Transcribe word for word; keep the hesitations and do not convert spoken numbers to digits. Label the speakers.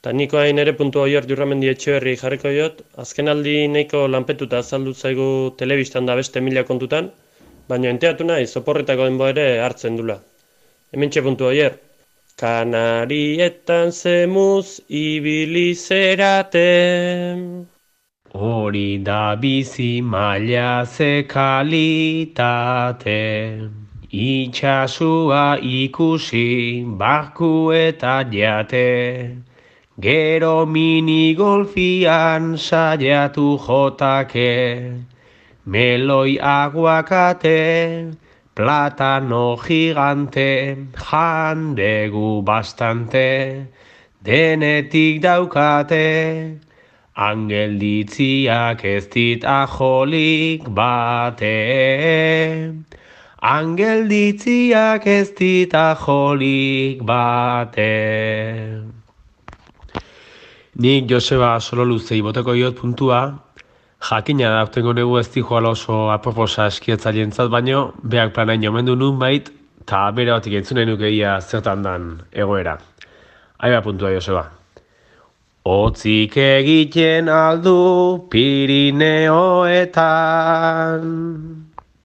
Speaker 1: Ta niko hain ere puntu oior Jurramendi Etxeberri jarriko jot, azken aldi nahiko lanpetuta azaldu zaigu telebistan da beste mila kontutan, baina enteatu nahi zoporretako denbo ere hartzen dula. Hementxe puntu oier. Kanarietan zemuz ibili zerate.
Speaker 2: Hori da bizi maila ze kalitate, itxasua ikusi barku eta jate, gero minigolfian saiatu jotake, meloi aguakate, platano gigante, jandegu bastante, denetik daukate, angelditziak ez dit ajolik bate. Angelditziak ez dit ajolik bate. Nik Joseba Sololuzei boteko diot puntua, jakina da urtengo negu ez dijoala oso aproposa eskiatzailentzat, baino beak planain omendu nun bait, eta bere batik entzunen nukeia zertan dan egoera. Aiba puntua Joseba. Otzik egiten aldu Pirineoetan,